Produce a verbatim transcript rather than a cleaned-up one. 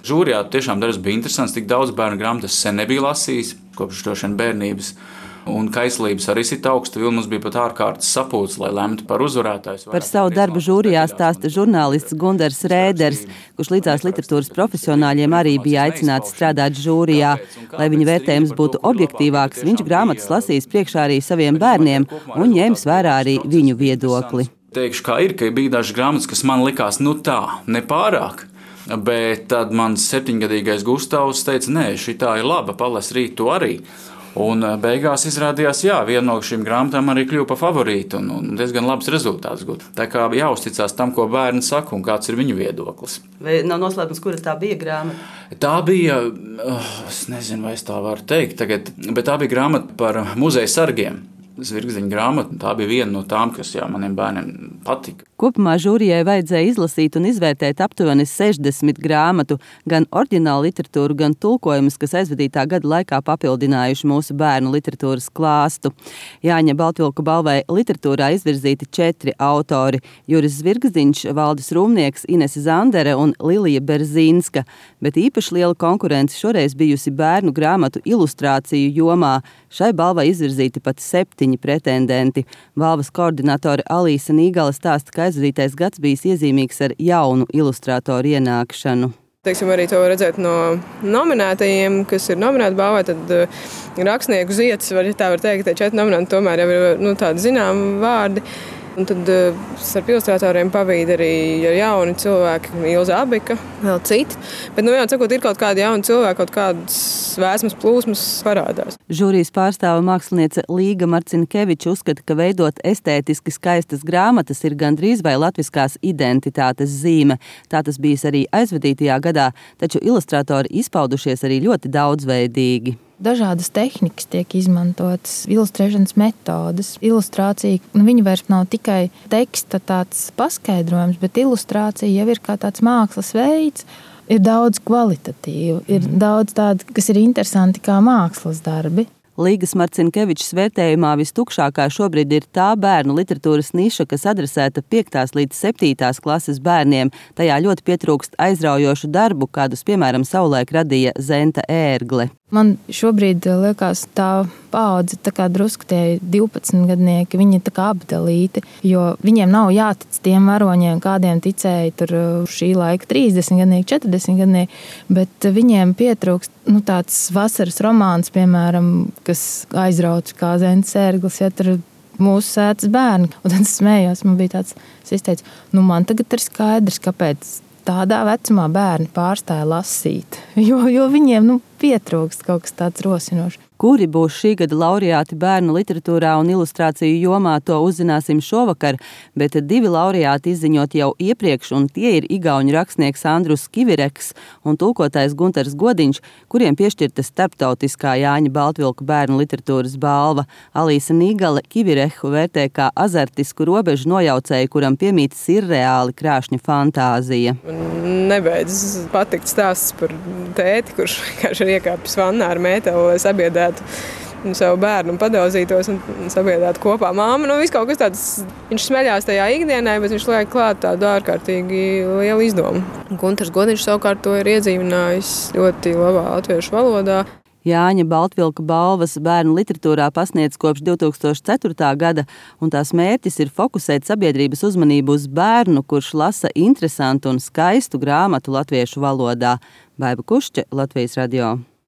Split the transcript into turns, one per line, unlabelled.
Žūrijā tiešām darbs bija interesants, tik daudz bērnu grāmatas sen nebija lasījis, kopš droši vien bērnības. Un kaislības arī sit augstu, jo mums bija pat ārkārtas sapulcs, lai lemtu par uzvarētājus.
Par savu darbu žūrijā stāsta žurnālists Gundars Rēders, kurš līdzās literatūras profesionāļiem arī bija aicināts strādāt žūrijā. Lai viņa vērtējums būtu objektīvāks, viņš grāmatas lasīs priekšā arī saviem bērniem un ņēmis vērā arī viņu viedokli.
Teikšu, kā ir, ka bija dažas grāmatas, kas man likās, nu tā, nepārāk. Bet tad mans septiņgadīgais Gustavs teica, nē, šitā ir laba, palas rīt to arī. Un beigās izrādījās, jā, viena no šīm grāmatām arī kļuva par favorītu un, un diezgan labs rezultāts gūt. Tā kā jāuzticās tam, ko bērni saka un kāds ir viņu viedoklis.
Vai nav noslēpums, kura tā bija grāmata?
Tā bija, oh, es nezinu, vai es tā varu teikt tagad, bet tā bija grāmata par muzeja sargiem. Zvirgziņa grāmata, tā bija viena no tām, kas jā, maniem bērniem patika.
Kopumā žūrijai vajadzēja izlasīt un izvērtēt aptuveni sešdesmit grāmatu, gan oriģinālu literatūru, gan tulkojumus, kas aizvadītā gada laikā papildinājuši mūsu bērnu literatūras klāstu. Jāņa Baltvilku balvai literatūrā izvirzīti četri autori – Juris Zvirgziņš, Valdis Rūmnieks, Inese Zandere un Lilija Berzīnska, bet īpaši liela konkurence šoreiz bijusi bērnu grāmatu ilustrāciju jomā. Šai balvai izvirzīti pat septiņi pretendenti. Balvas koordinatore Alīsa Nīgala stāsta, ka aizvadītais gads bijis iezīmīgs ar jaunu ilustrātoru ienākšanu.
Teiksim, arī to var redzēt no nominētajiem, kas ir nominēti balvai, tad uh, rakstnieku ziets, var, tā var teikt, ka četri nominanti tomēr jau ir nu, tādi zināmi vārdi. Un tad uh, starp ilustrātoriem pavīd arī jauni cilvēki, Ilza Abika, vēl citi. Bet, nu, jau sakot, ir kaut kādi jauni cilvēki, kaut kādas vēsmas plūsmas parādās.
Žūrijas pārstāve māksliniece Līga Marcinkeviča uzskata, ka veidot estētiski skaistas grāmatas ir gandrīz vai latviskās identitātes zīme. Tā tas bijis arī aizvadītajā gadā, taču ilustrātori izpaudušies arī ļoti daudzveidīgi.
Dažādas tehnikas tiek izmantotas, ilustrēšanas metodes. Ilustrācija, nu, viņa vairs nav tikai teksta tāds paskaidrojums, bet ilustrācija jau ir kā tāds mākslas veids. Ir daudz kvalitatīvu, ir daudz tādu, kas ir interesanti kā mākslas darbi.
Līgas Marcinkevičs vērtējumā vistukšākā šobrīd ir tā bērnu literatūras niša, kas adresēta piektās līdz septītās klases bērniem. Tajā ļoti pietrūkst aizraujošu darbu, kādus, piemēram, savulaik radīja Zenta Ērgle.
Man šobrīd liekas tā paudze, tā kā drusku tie divpadsmitgadnieki, viņi tā kā apdalīti, jo viņiem nav jātic tiem varoņiem, kādiem ticēja tur šī laika trīsdesmitgadnieki, četrdesmitgadnieki, bet viņiem pietrūkst nu, tāds vasaras romāns, piemēram, kas aizrauc kā Zents Ērglis, ja tur mūsu sētas bērni. Un tad es smējos, man bija tāds, es izteicu, nu man tagad ir skaidrs, kāpēc tādā vecumā bērni pārstāja lasīt, jo, jo viņiem nu, pietrūkst kaut kas tāds rosinošs.
Kuri būs šī gada laureāti bērnu literatūrā un ilustrāciju jomā, to uzzināsim šovakar, bet divi laureāti izziņot jau iepriekš, un tie ir igauņu rakstnieks Andrus Kivireks un tulkotājs Guntars Godiņš, kuriem piešķirta starptautiskā Jāņa Baltvilku bērnu literatūras balva. Alīsa Nīgale Kivirehu vērtē kā azartisku robežu nojaucēju, kuram piemīt sirreāli krāšņa fantāzija.
Nebeidz patikt stāsts par tēti, kurš vienkārši ir iekāpis vannā ar mēteli, lai sabiedētu savu bērnu un padauzītos un sabiedrētu kopā māmu. Nu, viss kaut kas tāds, viņš smeļās tajā ikdienai, bet viņš liek klāt tādu ārkārtīgi lielu izdomu. Guntars Godiņš savukārt to ir iedzīvinājis ļoti labā latviešu valodā.
Jāņa Baltvilka balvas bērnu literatūrā pasniedz kopš divi tūkstoši ceturtā gada, un tās mērķis ir fokusēt sabiedrības uzmanību uz bērnu, kurš lasa interesantu un skaistu grāmatu latviešu valodā. Baiba Kušķe, Latvijas radio.